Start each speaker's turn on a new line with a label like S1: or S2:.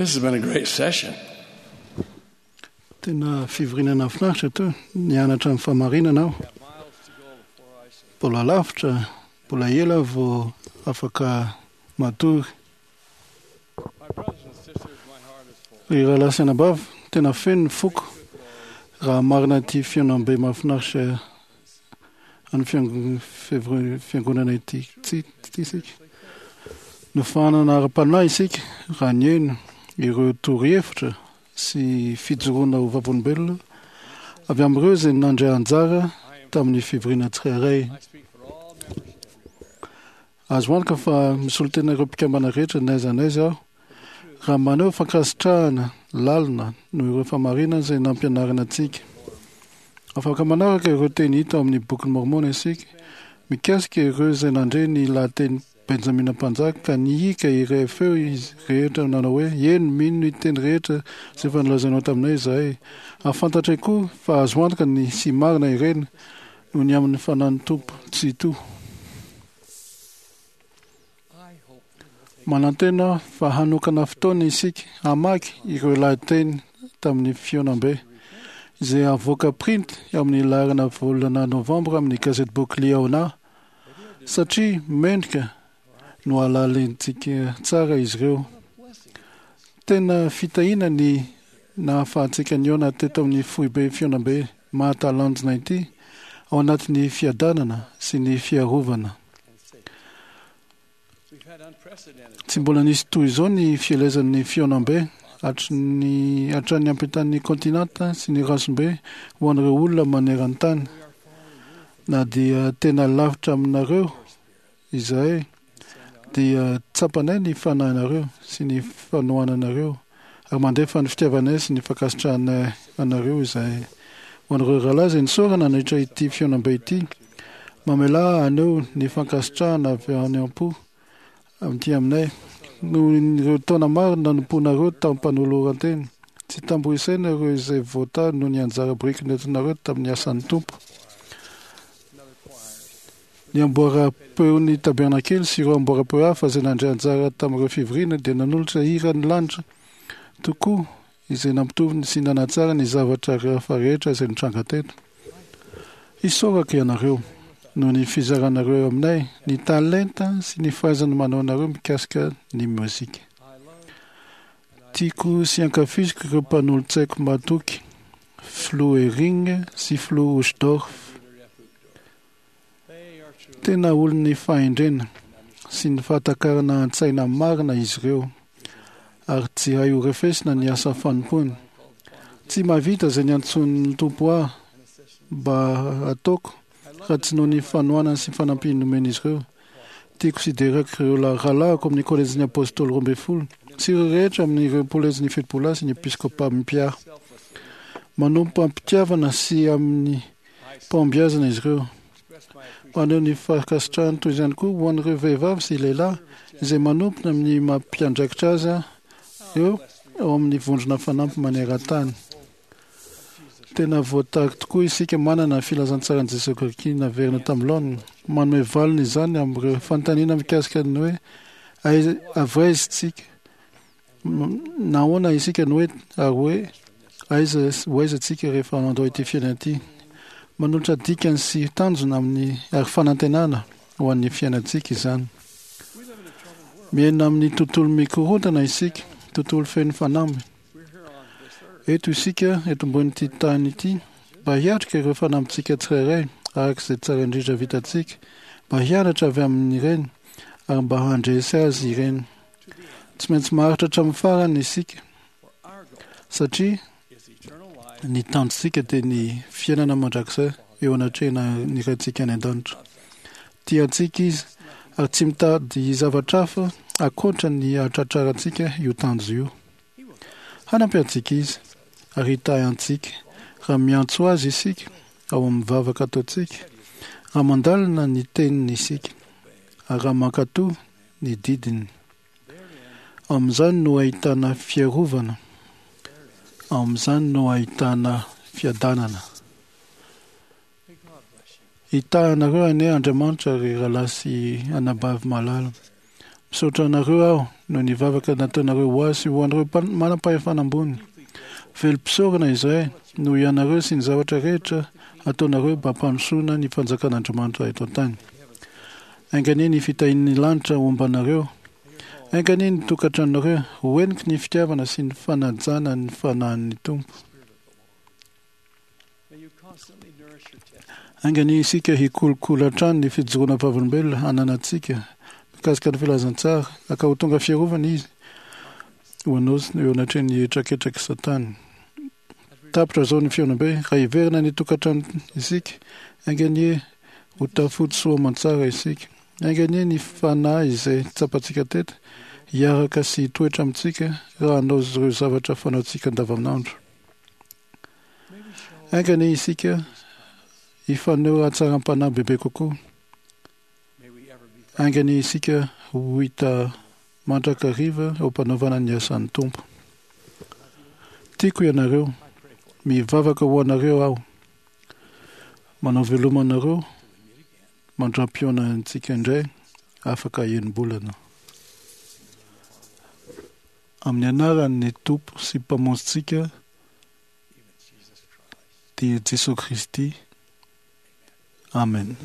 S1: This has been a great session.
S2: Tena fivoriana nahafinaritra teo. Nianatra ny fahamarinana aho. Mbola lavitra, mbola ela aho vao afaka matory. Ry rahalahy sy anabavy, tena feno ny foko raha marina ity fihaonambe mahafinaritra an'ny fiangonana ity ity isika. Nofahanana ara-panahy isika raha nihaino ireo torohevitra sy fijoroana ho vavolombelona avy amin'ireo izay nandray anjara tamin'ny fivoriana tsirairay. Azo antoka fa misolo tena ireo mpikambana rehetra n'aiza n'aiza aho raha maneho fankasitrahana lalina noho ireo fahamarinana izay nampianarina antsika. Afaka manaraka ireo teny hita ao amin'ny Bokin'i Môrmôna isika mikasika ireo izay nandre ny lahateny Benjamina Mpanjaka ka nihiaka iray feo izy rehetra nanao hoe, Eny, mino ny teny rehetra izay efa nolazainao taminay izahay, ary fantatray koa fa azo antoka ny sy marina ireny noho ny amin'ny Fanahin'ny Tompo Tsitoha. Manantena aho fa hanokana fotoana isika hamaky ireo lahateny tamin'ny fihaonambe, izay havoaka printy amin'ny laharana volana Novambra amin'ny gazetiboky Liahona, satria mendrika no halalintsika tsara izy ireo. Tena fitahiana ny nahafahantsika nihaona teto amin'ny foibe fihaonambe mahatalanjona ity ao anatin'ny fiadanana sy ny fiarovana. Tsy mbola nisy toy izao ny fielezan'ny fihaonambe hatry ny hatrany ampitan'ny kontinanta sy ny ranombe ho an'ireo olona maneran-tany. Na dia tena lavitra aminareo izahay dia tsapanay ny fanahinareo sy ny fanohananareo ary mandefa ny fitiavanay sy ny fankasitrahanay anareo izahay. Ho an'ireo rahalahy izay nisaorana nandritra ity fihaonambe ity, mamelà ahy haneho ny fankasitrahana avy any am-po amin'ity aminay noho ireo taona maro nanompoanareo tamim-panoloran-tena. Tsy tambo isaina ireo izay voatahy noho ny anjara biriky nentinareo tamin'ny asan'ny Tompo. Ny amboaram-peon'ny Tabernakely sy ireo amboaram-peo hafa izay nandray anjara tamin'ireo fivoriana dia nanolotra hiran'ny lanitra tokoa izay nampitovy sy nanatsara ny zavatra hafa rehetra izay nitranga teto. Isaorako ianareo noho ny fizaranareo aminay ny talenta sy ny fahaizana manao anareo mikasika ny mozika. Tiako sy ankafiziko ireo mpanolotsaiko mahatoky, Filoha Eyring sy Filoha Uchtdorf. Tena olon'ny fahendrena sy ny fahatakarana an-tsaina marina izy ireo, ary tsy hay horefesina ny asa fanompoany. Tsy mahavita izay niantsoan'ny Tompo ahy mba hataoko raha tsy noho ny fanohanany sy fanampiany nomen'izy ireo. Tiako sy deraiko ireo rahalahiko amin'ny Kolejin'ny Apôstôly Roambinifolo sy ireo rehetra amin'ireo Kolejin'ny Fitopololahy sy ny Episkôpà mpiahy. Manompo am-pitiavana sy amin'ny Pahombiazana izy ireo. Maneho ny fankasitrahany toy izany koa ho an'ireo vehivavy sy lehilahy izay manompo amin'ny maha mpiandraikitra azy ireo ao amin'ny vondrona fanampy maneran-tany. Tena voatahy tokoa isika manana ny filazantsaran'i Jesoa Kristy naverina tamin'ny laoniny. Manome valiny izany amin'ireo fanontaniana mikasika ny hoe aiza avy aiza isika Nahoana isika no eto ary hoe aiza ho aiza tsika rehefa mandao ity fiainana ity? Manolotra dikany sy tanjona amin'ny ary fanantenana ho an'ny fiainantsika izany. Miaina amin'ny tontolo mikorontana isika, tontolo feno fanamby. Eto isika, eto ambonin'ity tany ity, mba hiatrika ireo fanambintsika tsirairay araka izay tsara indrindra vitantsika, mba hianatra avy amin'ireny ary mba handresy azy ireny. Tsy maintsy maharitra hatramin'ny farany isika, satria ny tanjontsika dia ny fiainana mandrakizay eo anatrehan'ny Raintsika any an-danitra. Tia antsika Izy ary tsy mitady zavatra hafa ankoatra ny hahatratrarantsika io tanjo io. Hanampy antsika Izy ary hitahy antsika raha miantso Azy isika ao amin'ny vavaka ataontsika, raha mandalina ny Teniny isika, ary raha mankatò ny didiny. Amin'izany no ahitana fiarovana, amin'izany no ahitana fiadanana. Hitahy anareo anie Andriamanitra ry rahalahy sy anabavy malala. Misaotra anareo aho noho ny vavaka nataonareo ho ahy sy ho an'ireo manam-pahefana ambony. Velom-pisaorana izahay noho ianareo sy ny zavatra rehetra ataonareo mba hampandrosoana ny fanjakan'Andriamanitra eto an-tany. Enga anie ny fitahian'ny lanitra homba anareo. Enga anie ny tokantranonareo ho heniky ny fitiavana sy ny fanajana ny fanahin'ny Tompo. Enga anie isika hikolokolo hatrany ny fijoroana vavolombelona ananantsika mikasika ny filazantsara ka ho tonga fiarovana izy ho anao eo anatrehan'ny hetraketraky Satana. Tapitra izao ny fihaonambe. Raha hiverina ny tokantrano isika, enga anie ho tafody soa aman-tsara isika. Enga anie ny fanahy izay tsapantsika teto hiaraka sy hitoetra amintsika raha hanao ireo zavatra fanaontsika andavanandro. Enga anie isika hifaneho hatsaram-panahy bebe kokoa. Enga anie isika ho hita mandrakariva eo am-panaovana ny asan'ny Tompo. Tiako ianareo. Mivavaka ho anareo aho. Manao veloma anareo mandra-pihaona antsika indray afaka enim-bolana. Amin'ny anaran'ny Tompo sy Mpamonjintsika dia Jesoa Kristy. Amen.